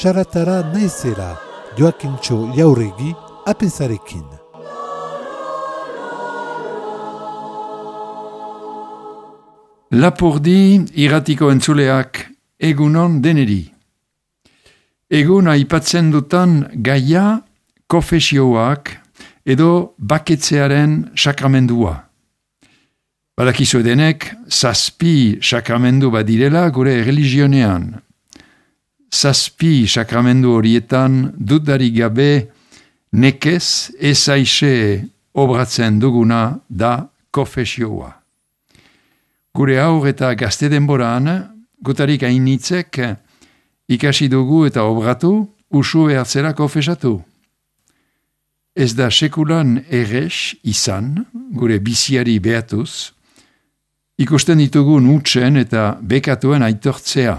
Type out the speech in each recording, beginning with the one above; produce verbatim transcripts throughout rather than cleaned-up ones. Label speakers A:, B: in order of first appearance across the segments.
A: Saratara naizela, Joakintxo Jauregi, apenzarekin.
B: Lapurdi irratiko entzuleak egunon deneri. Egun aipatzen dutan gaia konfesioak edo baketzearen sakramendua. Badakizu edenek, zazpi sakramendu badirela gure religionean. Zazpi sakramendu horietan dudarik gabe nekez ezaixe obratzen duguna da konfesioa. Gure aur eta gazte denboran, gutarik hainitzek ikasi dugu eta obratu, usu behartzera konfesatu. Ez da sekulan errex izan, gure biziari behatuz, ikusten ditugun utsen eta bekatuen aitortzea.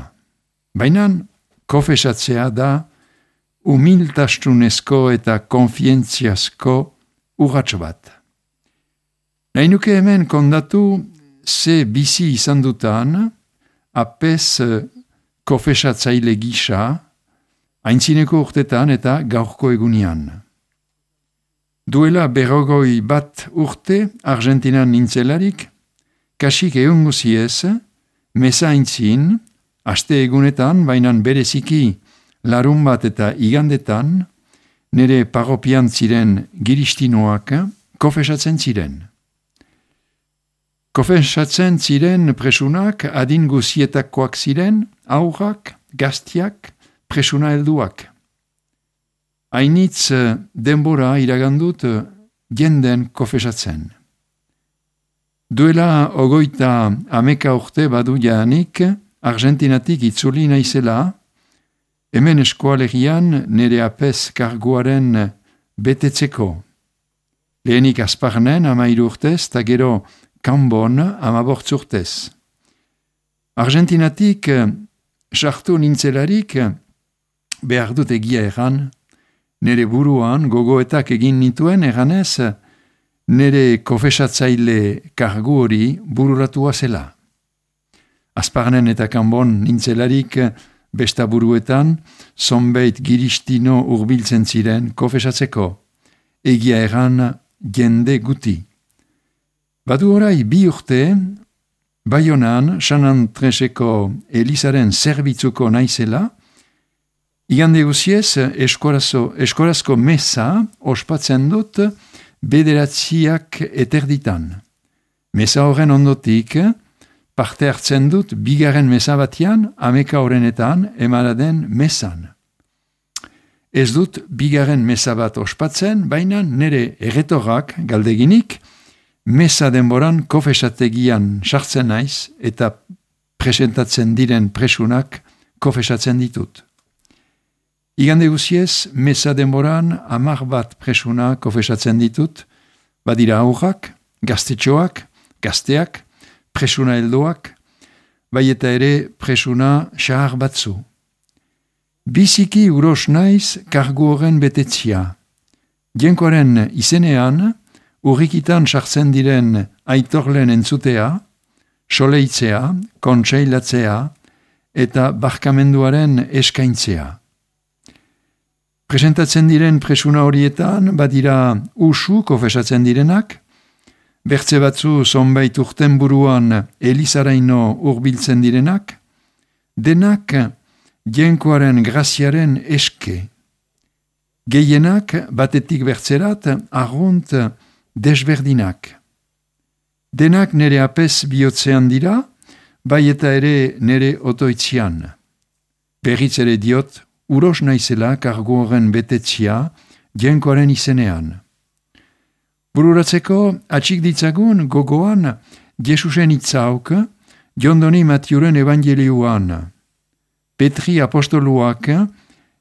B: Baina konfesatzea da humiltasunezko eta konfientziazko urratxo bat. Nahi nuke hemen kondatu ze bizi izan dutan, apez konfesatzaile gisa, aintzineko urtetan eta gaurko egunian. Duela berrogoi bat urte Argentinan nintzelarik, kasik egun guziez, meza aintzin, aste egunetan, bainan bereziki larun bat eta igandetan, nire parropian ziren giristinoak konfesatzen ziren. Konfesatzen ziren presunak adin guzietakoak ziren, aurrak, gaztiak, presuna helduak. Hainitz denbora iragandut jenden konfesatzen. Duela ogoita ameka urte badu jaanik, Argentinatik itzuli naizela, hemen eskualegian nire apez karguaren betetzeko. Lehenik Azparnen amairu urtez, eta gero Kanbon amabortz urtez. Argentinatik sartu nintzelarik, behar dut egia erran, nire buruan gogoetak egin nituen erranez, nire konfesatzaile kargu hori bururatua zela. Azparnen eta Kanbon nintzelarik besta buruetan, zonbait giristino urbiltzen ziren konfesatzeko, egia erran jende guti. Badu orai bi urte, Baionan, San Andreseko Elizaren zerbitzuko naizela, igande guziez eskorazo, eskorazko mesa ospatzen dut bederatziak eterditan. Mesa horren ondotik, parte hartzen dut bigarren mesa batian, ameka horrenetan emaraden mesan. Ez dut bigarren mesa bat ospatzen, baina nire erretorrak galdeginik, mesa denboran konfesategian sartzen naiz eta presentatzen diren presunak konfesatzen ditut. Igande guziez, mesa denboran amar bat presuna konfesatzen ditut, badira aurrak, gaztetxoak, gazteak, presuna heldoak, bai eta ere presuna xahar batzu. Biziki uros naiz kargu horren betetzia. Jenkoaren izenean, urrikitan sartzen diren aitorlen entzutea, soleitzea, kontseilatzea eta barkamenduaren eskaintzea. Presentatzen diren presuna horietan, badira usu konfesatzen direnak, bertze batzu zonbait urten buruan Elizaraino urbiltzen direnak, denak jenkoaren graziaren eske. Gehienak batetik bertzerat arrunt desberdinak. Denak nere apez bihotzean dira, bai eta ere nere otoitzian. Berriz ere diot, uros naizela kargu horren betetzia jenkoaren izenean. Bururatzeko atxik ditzagun gogoan Jesusen itzauk Jondoni Matiuren evangelioan. Petri apostoluak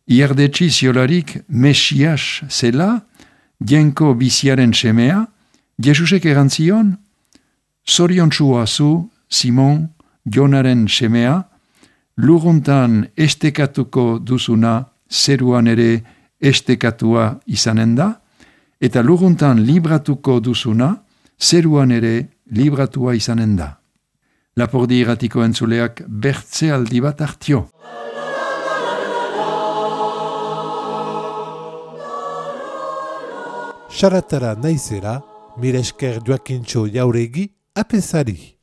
B: iardetsi ziolarik Mesias zela, jenko biziaren semea, Jesusek erantzion, zoriontsua zu, Simon, Jonaren semea, luruntan estekatuko duzuna, zeruan ere estekatua izanen da, eta luruntan libratuko duzuna, zeruan ere libratua izanen da. Lapurdi irratiko entzuleak bertze aldi bat hartio.
A: Saratara naizera, mire esker Joakintxo Jauregi apesari.